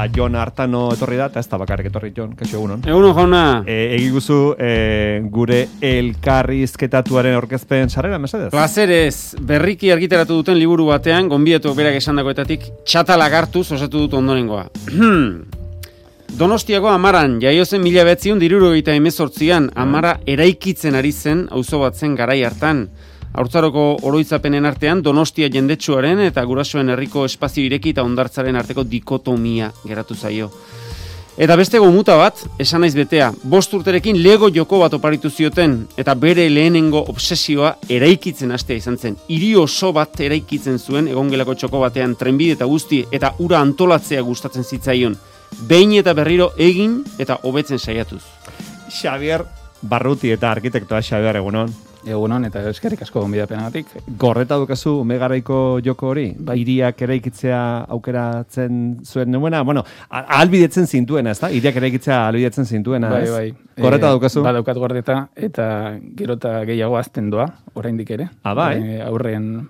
Jon Artano etorri da, eta ez da bakarrik etorri Jon, kaixo egunon. Egunon jauna. Egiguzu gure elkarrizketatuaren aurkezpen sarrera, mesedez? Plazerez, berriki argitaratu duten liburu batean, gonbieto berak esandakoetatik txatalak hartuz osatu dut ondorengoa. Donostiako Amaran, jaio zen 1978an, Amara eraikitzen ari zen, auzo bat zen garai hartan. Haurtzaroko oroitzapenen artean Donostia jendetsuaren eta gurasoen herriko espazio ireki eta hondartzaren arteko dikotomia geratu zaio. Eta beste gomuta bat, esan naiz betea, 5 urterekin Lego joko bat oparitu zioten, eta bere lehenengo obsesioa eraikitzen hastea izan zen. Hiri oso bat eraikitzen zuen, egongelako txoko batean trenbide eta guzti, eta ura antolatzea gustatzen zitzaion. Behin eta berriro egin eta hobetzen saiatuz. Xabier Barruti eta arkitektoa Xabier, egunon. Egunon, eta eskerrik asko gonbidapenagatik. Gorreta dukazu ume garaiko joko hori? Hiriak eraikitzea aukeratzen zuen nuena? Bueno, ahalbidetzen zintuena, ez da? Hiriak eraikitzea ahalbidetzen zintuena, ez? Bai. Gorreta dukazu? Badaukat gordeta, eta gero eta gehiago azten doa, oraindik ere. Bai? Aurrean,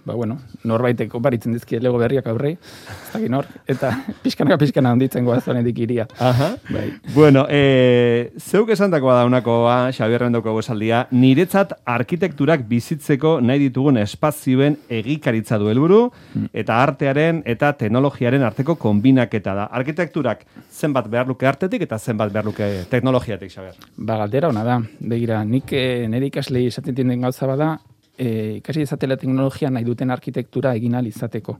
norbaitek oparitzen dizkie Lego berriak aurrei, ez dakit nor, eta pixkana handitzen goaz oraindik hiria. Aha. Bai. Bueno, zeuk esandakoa da unakoa, Xabierren daukago esaldia, niretzat arkitekturak bizitzeko nahi ditugun espazioen egikaritza du helburu, eta artearen eta teknologiaren arteko konbinaketa da. Arkitekturak zenbat behar luke artetik eta zenbat behar luke teknologiatik, Xabier? Galdera ona da. Begira, nik nire ikaslei esaten den gauza bada, ikasi izatela teknologia nahi duten arkitektura egin ahal izateko.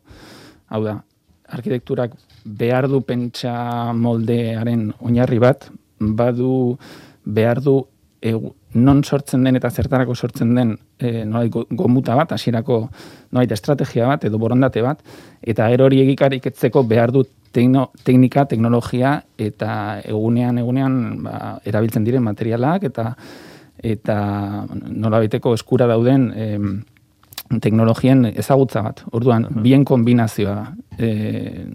Hau da, arkitekturak behar du pentsa moldearen oinarri bat, behar du non sortzen den eta zertarako sortzen den nolait gomuta bat, hasierako nolait estrategia bat edo borondate bat, eta gero hori egikariketzeko behar du teknika, teknologia eta egunean erabiltzen diren materialak eta nolabaiteko eskura dauden teknologien ezagutza bat. Orduan, bien kombinazioa,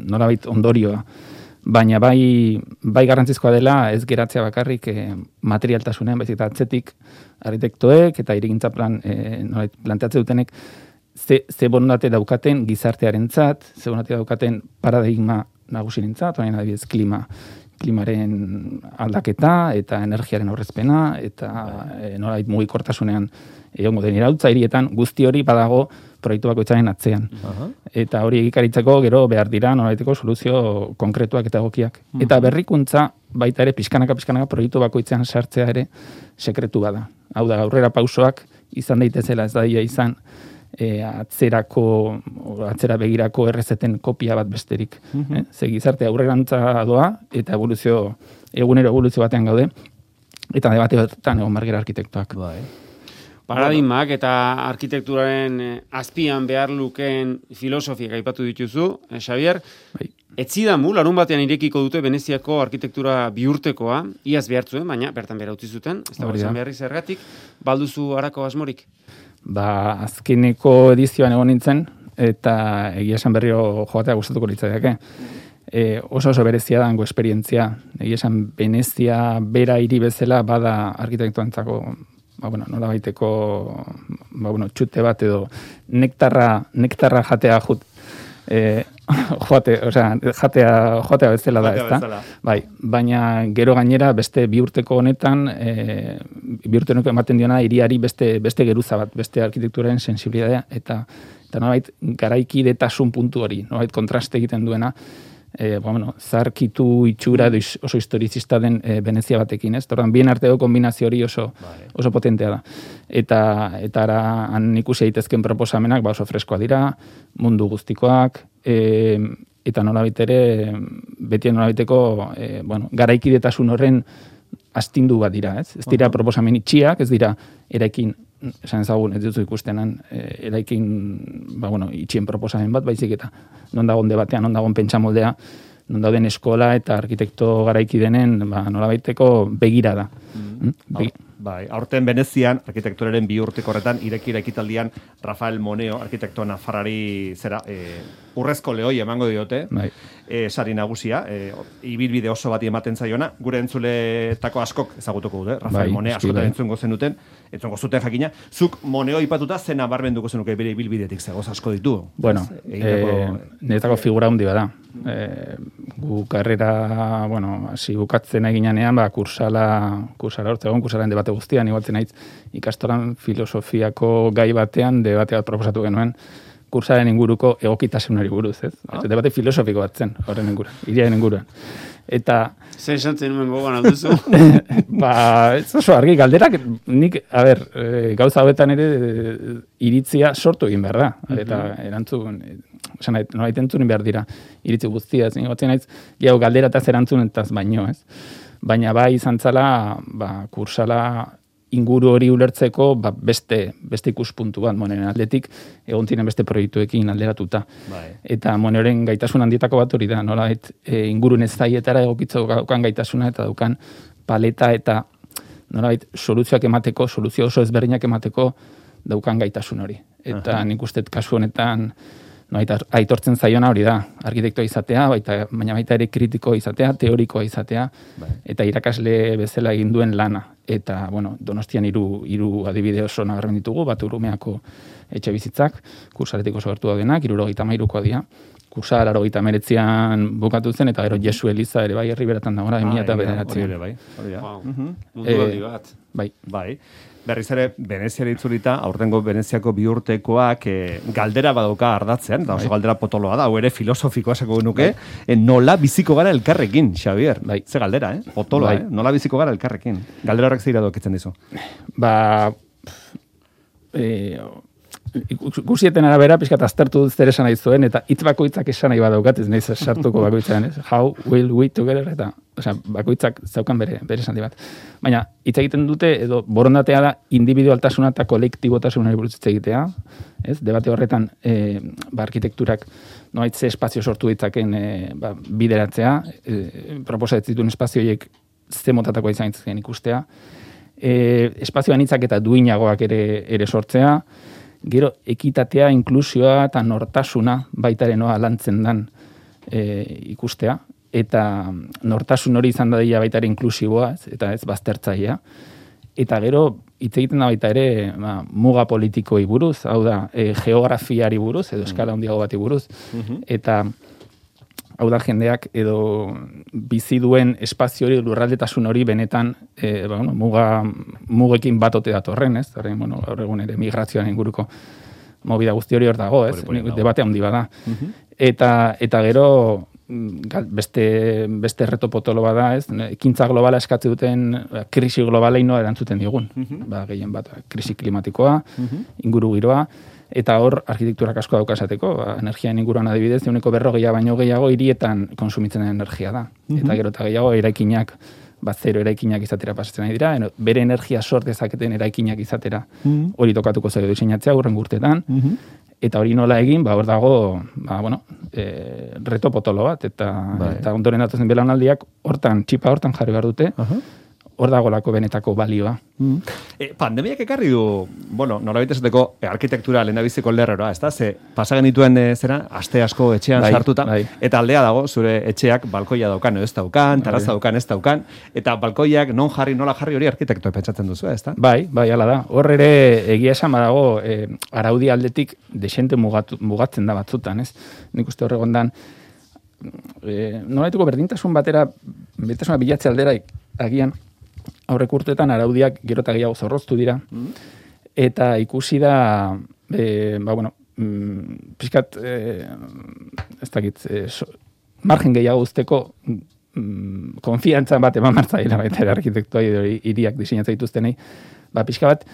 nolabait ondorioa. Baina bai garrantzizkoa dela ez geratzea bakarrik materialtasunean, baizik eta atzetik arkitektoek eta hirigintza planteatze dutenek ze borondate daukaten gizartearentzat, ze borondate daukaten paradigma nagusirentzat, orain adibidez klimaren aldaketa eta energiaren aurrezpena eta nolabait mugikortasunean egongo den iraultza hirietan, guzti hori badago proiektu bakoitzaren atzean. Eta hori egikaritzeko gero behar dira nolabaiteko soluzio konkretuak eta egokiak. Eta berrikuntza baita ere pixkanaka proiektu bakoitzean sartzea ere sekretu bada. Hau da, aurrera pausoak izan daitezela, ez daia izan atzera begirako errezeten kopia bat besterik. Ze gizarte aurrerantza doa eta egunero eboluzio batean gaude, eta debate batean egon margera arkitektoak. Paradigmak eta arkitekturaren azpian behar lukeen filosofiak aipatu dituzu, Xabier. Etzidamu, larun batean irekiko dute Veneziako arkitektura bihurtekoa, iaz behartzuen, baina bertan behar utzi zuten, ez da izan beharri zergatik, balduzu harako asmorik? Azkeneko edizioan egon nintzen, eta egia esan berriro joatea gustatuko litzaiake. Oso berezia dango esperientzia. Egia esan Venezia bera hiri bezala bada arkitektuantzako nolabaiteko txute bat edo nektarra jatea jatea bezala da, ezta? Bai, baina gero gainera beste bihurteko honetan bihurteko ematen diona hiriari beste geruza bat, beste arkitekturaren sensibilitatea eta nolabait garaikidetasun puntu hori, nolabait kontraste egiten duena. Zarkitu itxura oso historizista den Venezia batekin, ez? Torran, bien arteko kombinazio hori oso potentea da. Eta han ikusi daitezken proposamenak oso freskoa dira, mundu guztikoak, eta nolabait ere, beti nolabaiteko garaikidetasun horren astindu bat dira, ez? Ez dira proposamen itxiak, ez dira eraikin, esan ezagun, ez duzu ikustenan, eraikin, itxien proposamen bat, baizik eta non dagoen debatean, non dagoen pentsamoldea, non dauden eskola eta arkitekto garaiki denen, nolabaiteko begira da. Aurten Venezian, arkitekturaren bihurteko horretan, irekira ekitaldian, Rafael Moneo, arkitekto nafarrari urrezko lehoi emango diote, sari nagusia, ibilbide oso bati ematen zaiona, gure entzuletako askok ezagutuko dute, Rafael Moneo askotan entzungo zenuten jakina, zuk Moneo ipatuta zena barbenduko zenuke bere ibilbidetik zegoz asko ditu. Niretako figura handi bada. Gu karrera, hasi bukatzen eginanean, kursala hortzegon, kursalaren debate guztian, igualtzen naiz ikastolan filosofiako gai batean debate bat proposatu genuen, kursaren inguruko egokitasunari buruz, ez? Debate filosofiko bat zen, horren inguruan, iriaren inguruan. Eta... Zer esantzen nuen gogoan alduzu? Ez oso argi, galderak, nik, gauza hauetan ere iritzia sortu egin behar da. Eta erantzun, nolait entzun behar dira, iritzi guztia, ez nigotzen naiz, galderataz erantzunetaz baino, ez? Baina bai izan zala, kursala inguru hori ulertzeko beste ikuspuntu bat, Moneren aldetik, egon ziren beste proiektuekin alderatuta. Bai. Eta Moneren gaitasun handietako bat hori da, nolait ingurun ez zaietara egokitzeko daukan gaitasuna eta daukan paleta eta nolait soluzioak emateko, soluzio oso ezberdinak emateko daukan gaitasun hori. Eta nik uste kasu honetan aitortzen zaiona hori da, arkitektoa izatea, baina baita ere kritikoa izatea, teorikoa izatea, eta irakasle bezala egin duen lana. Eta, Donostian hiru adibide oso nabarmen ditugu, bat Urumeako etxe bizitzak, kursaretik oso gertu daudenak, 73koa dira. Kursa 89an bukatu zen, eta gero Jesu Eliza ere bai herri beratan dagoela, 2009. Mundu handi bat. Bai. Berriz ere, Veneziara itzulita, aurtengo Veneziako bi urtekoak galdera badauka ardatzean, eta oso galdera potoloa da, hau ere filosofikoa esako genuke, nola biziko gara elkarrekin, Xavier? Ze galdera, potoloa, nola biziko gara elkarrekin? Galdera horrek zeira dokitzen dizu? Gusieten arabera, pixkat aztertu zer esan nahi zuen, eta hitz bakoitzak esan nahi badaukat, ez nahi sartuko bakoitzaren, ez? How will we together, eta bakoitzak zaukan bere esan bat. Baina, hitz egiten dute, edo borondatea da, individualtasuna eta kolektibotasunari buruz hitz egitea, ez? Debate horretan, arkitekturak noait ze espazio sortu ditzaken bideratzea, proposatzen dituen espazioiek ze motatakoa izan zitzen ikustea, espazio anitzak eta duinagoak ere sortzea, gero ekitatea, inklusioa eta nortasuna baitaren lantzen dan ikustea, eta nortasun hori izan dadila baitare inklusiboa, eta ez baztertzailea. Eta gero, hitz egiten da baita ere muga politikoi buruz, hau da, geografiari buruz, edo eskala handiago bati buruz, eta hau da jendeak edo bizi duen espazio hori, lurraldetasun hori benetan mugekin bat ote datorren, ez? Gaur egun ere migrazioan inguruko movida guzti hori hor dago, ez? Debate handi bada. Eta gero beste reto potolo bada, ez? Ekintza globala eskatze duten krisi globala erantzuten digun. Gehien bat, krisi klimatikoa, inguru giroa, eta hor arkitekturak asko dauka esateko, energian inguruan adibidez, 40% baino gehiago hirietan kontsumitzen den energia da. Eta gero eta gehiago eraikinak, zero eraikinak izatera pasatzen nahi dira, bere energia sort dezaketen eraikinak izatera hori tokatuko zaio diseinatzea hurren urteetan, eta hori nola egin, hor dago, reto potolo bat, eta ondoren datozen belaunaldiak txipa hortan jarri behar dute, hor dagolako benetako balioa. Pandemiak ekarri du, norabait esateko arkitektura lehendabiziko lerrora, ez da? Ze pasagen dituen aste asko etxean sartuta, eta aldea dago, zure etxeak balkoia daukan, ez daukan, terraza daukan, ez daukan, eta balkoiak nola jarri hori arkitektoa pentsatzen duzu, ez da? Bai, hala da. Hor ere egia esan badago, araudi aldetik desente mugatzen da batzutan, ez? Nik uste horregondan, nolaituko berdintasun berdintasuna bilatze aldera agian, aurrek urteetan araudiak gero eta gehiago zorroztu dira, eta ikusi da, pixkat, ez dakit, margen gehiago uzteko konfiantzan bat eman martzaila baita arkitektua hiriak diseinatza dituztenei, pixka bat,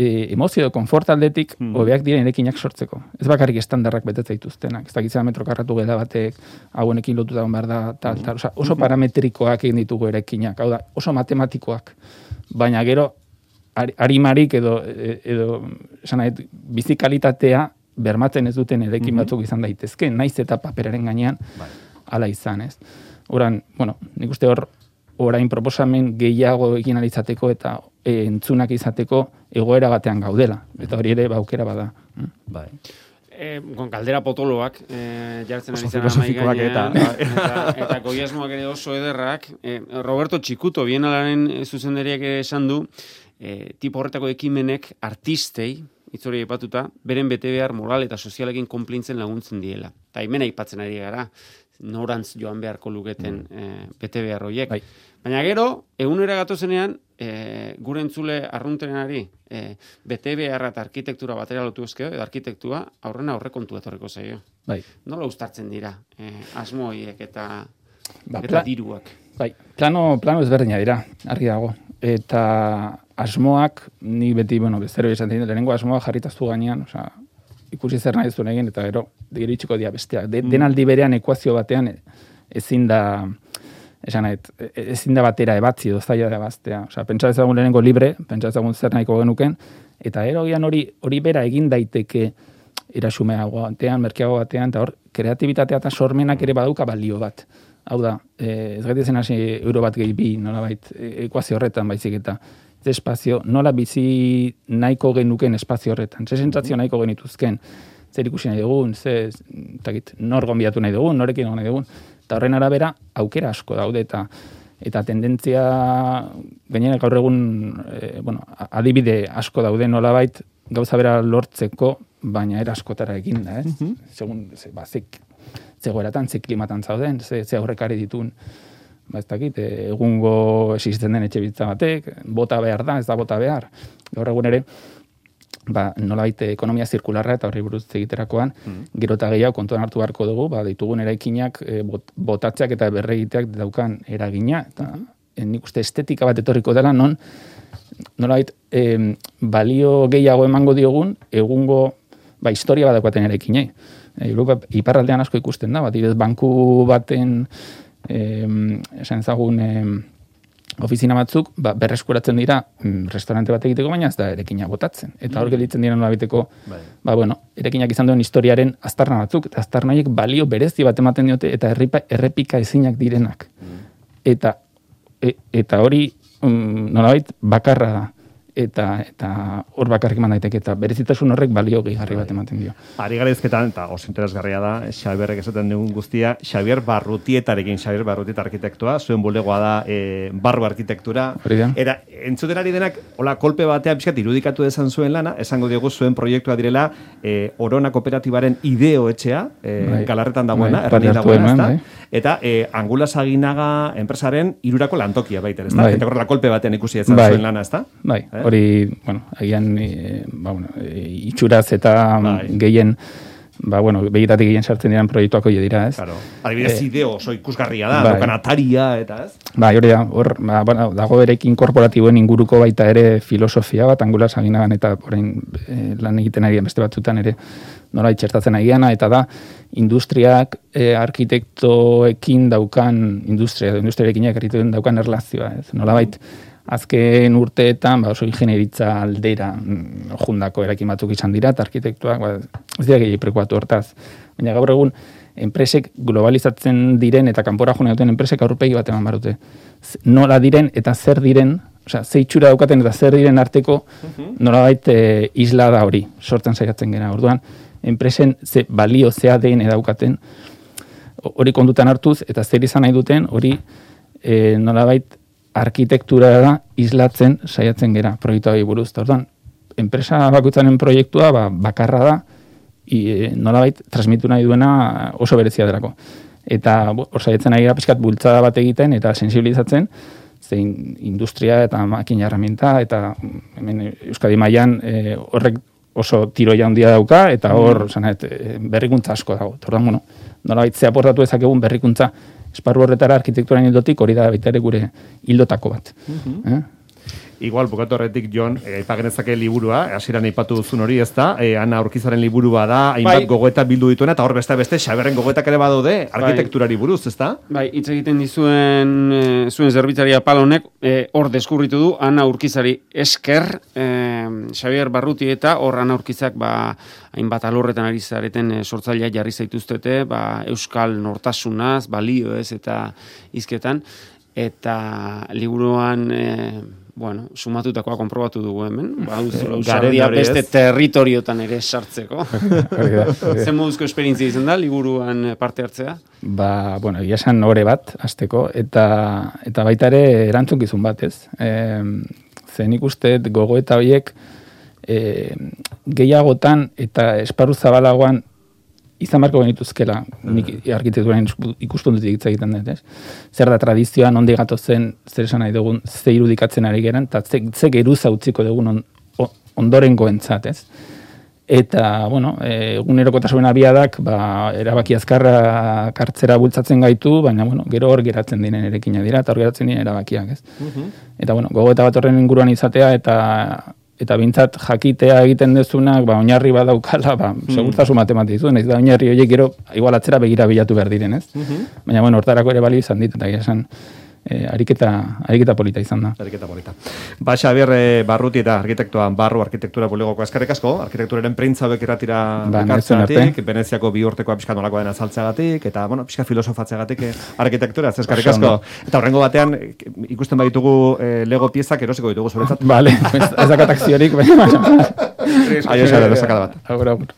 emozio edo konfort aldetik hobeak diren erekinak sortzeko. Ez bakarrik estandarrak betetza dituztenak. Ez dakitzea metro karratu gela batek, hauenekin lotuta behar da, oso parametrikoak egin ditugu erekinak. Hau da, oso matematikoak. Baina gero, arimarik edo bizikalitatea bermatzen ez duten erekin batzuk izan daitezke, naiz eta paperaren gainean hala izan, ez? Horan, nik uste orain proposamen gehiago egin alitzateko eta entzunak izateko egoera batean gaudela. Eta hori ere aukera bada. Bai. Galdera potoloak jartzen ari zen amai gainean. Eta goiasmoak ere oso ederrak. Roberto Txikuto, Bienalaren zuzendariak esan du, tipo horretako ekimenek artistei itzori aipatuta, beren betebehar moral eta sozialekin konplintzen laguntzen diela. Eta hemen aipatzen ari gara, norantz joan beharko luketen betebehar horiek. Bai. Baina gero, egunera gatozenean, gure entzule arruntenari betebeharra eta arkitektura batera lotu ezkeo, edo arkitektua aurrena aurrekontu etorreko zaio. Bai. Nola uztartzen dira asmo horiek eta diruak? Bai, plano ezberdina dira, argi dago. Eta asmoak, ni beti, bezero esan dira, lehenengo asmoa jarritaztu gainean, ikusi zer nahi zuen egin, eta gero, iritsuko dira besteak. Denaldi berean ekuazio batean ezin da batera ebatzi, zaila da baztea. Pentsa ezagun lehenengo libre, pentsa ezagun zer nahiko genuken, eta gero gian hori bera egin daiteke erasumeago batean, merkeago batean, eta hor, kreatibitatea eta sormenak ere badauka balio bat. Hau da, ez gaitezen hasi euro bat gehi bi, nolabait, ekuazio horretan baizik eta espazio, nola bizi nahiko genuken espazio horretan, ze sentsazio nahiko genituzken, zer ikusi nahi dugun, nor gonbidatu nahi dugun, norekin nahi dugun, eta horren arabera aukera asko daude, eta tendentzia gainera gaur egun adibide asko daude nolabait gauza bera lortzeko, baina era askotara egin da, segun, zegoeratan, ze klimatan zauden, ze aurrekari ditun, ez dakit, egungo existenten den etxe bizitza batek, bota behar da, ez da bota behar. Gaur egun ere, nolabait ekonomia zirkularra eta horri buruz egiterakoan, gero eta gehiago kontuan hartu beharko dugu, ditugun eraikinak botatzeak eta berregiteak daukan eragina, eta nik uste estetika bat etorriko dela, nolabait balio gehiago emango diogun, egungo historia bat daukaten eraikinei. Iparraldean asko ikusten da, banku baten esan ezagun ofizina batzuk berreskuratzen dira restaurante bat egiteko, baina ez da erekina botatzen. Eta hor gelditzen dira nolabiteko erekinak izan duen historiaren aztarna batzuk, eta aztarna horiek balio berezi bat ematen diote eta errepika ezinak direnak. Eta hori nolabait bakarra da. Eta hor bakarrik eman daiteke, eta berezitasun horrek balio gehigarri bat ematen dio. Ari gara izketan, eta oso interesgarria da, Xabierrek esaten dugun guztia, Xabier Barrutietarekin, Xabier Barrutieta arkitektua, zuen bulegoa da barru arkitektura. Eta entzuten ari denak, hola, kolpe batean pixkat irudikatu dezan zuen lana, esango diogu zuen proiektua direla Orona Kooperatibaren ideo etxea, Galarretan dagoena, erranin dagoena, eta Angulas Aginaga enpresaren irurako lantokia baita, ez da? Eta horrela kolpe batean ikusi dezan zuen lana, ez da? Bai, hori, agian itxuraz eta gehien, begitatik gehien sartzen diran proiektuak hori dira, ez? Claro. Adibidez, ideo oso ikusgarria da, dokan ataria, eta ez? Hori da, hor, dago erekin korporatiboen inguruko baita ere filosofia bat, Angulas Aginagan eta lan egiten ari beste batzutan ere nola itxertatzen agiana, eta da, industriak arkitektoekin daukan, industriarekin daukan erlazioa, ez? Nola azken urteetan oso ingenieritza aldera jundako erakin batzuk izan dira, eta arkitektuak ez dira gehi prekuatu hortaz. Baina gaur egun, enpresek globalizatzen diren eta kanpora june duten enpresek aurpegi bat eman barute. Nola diren eta zer diren, ze itxura daukaten eta zer diren arteko nolabait isla da hori, sortzen saiatzen gera. Orduan, enpresen ze balio zea den edaukaten hori kondutan hartuz, eta zer izan nahi duten hori nolabait arkitektura da islatzen saiatzen gera proiektua buruz. Orduan, enpresa bakoitzaren proiektua bakarra da, nolabait transmitu nahi duena oso berezia delako. Eta hor saiatzen ari gara pixkat bultzada bat egiten eta sensibilizatzen, zein industria eta makina herramienta, eta hemen Euskadi mailan horrek oso tiroia handia dauka, eta hor berrikuntza asko dago. Orduan, nolabait ze aportatu ezakegun berrikuntza esparru horretara arkitekturan hildotik hori da baita ere gure hildotako bat. Igual, bukatu horretik, Jon, aipagenezake liburua, hasieran aipatu duzun hori, ez da, Ana Urkizaren liburua da, hainbat gogoeta bildu dituena, eta hor beste Xabierren gogoetak ere badaude, arkitekturari buruz, ez da? Hitz egiten dizuen zuen zerbitzaria Palonek, hor deskurritu du, Ana Urkizari esker, Xabier Barrutieta, hor Ana Urkizak, hainbat alorretan ari zareten sortzailea jarri zaituztete, euskal nortasunaz, balioez eta hizketan, eta liburuan sumatutakoa konprobatu dugu hemen, usardia beste territoriotan ere sartzeko. Zer moduzko esperientzia izan da, liburuan parte hartzea? Egia esan ore bat, hasteko, eta baita ere erantzunkizun bat, ez? Nik uste gogoeta horiek gehiagotan eta esparru zabalagoan izan barko genituzkela, nik arkitekturan ikuspuntutik hitz egiten dut, ez? Zer da tradizioa, nondi gatozen, zer esan nahi dugun, ze irudikatzen ari geran, eta ze geruza utziko dugun ondorengoentzat, ez? Eta, bueno, egunerokotasunen abiadak, erabaki azkarra kartzera bultzatzen gaitu, baina, bueno, gero hor geratzen diren erekina dira, eta hor geratzen diren erabakiak, ez? Eta, bueno, gogoeta bat horren inguruan izatea, eta bintzat jakitea egiten dezunak, oinarri badaukala, segurtasun matematiko, naiz da oinarri horiek gero igual atzera begira bilatu behar diren, ez? Baina, bueno, hortarako ere balio izan dit, eta esan ariketa polita izan da. Ariketa polita. Xabier Barruti eta arkitektoan Barru Arkitektura Bulegoko eskerrik asko, arkitekturaren printza hauek irratira ekartzeagatik, Veneziako bi urtekoa pixka nolakoa dena azaltzeagatik, eta, bueno, pixka filosofatzeagatik arkitektura, eskerrik asko. Eta horrengo batean, ikusten baditugu Lego piezak erosiko ditugu zuretzat. Vale, ez dakat akziorik, baina. Aio, Xabier, esakada bat. Agur.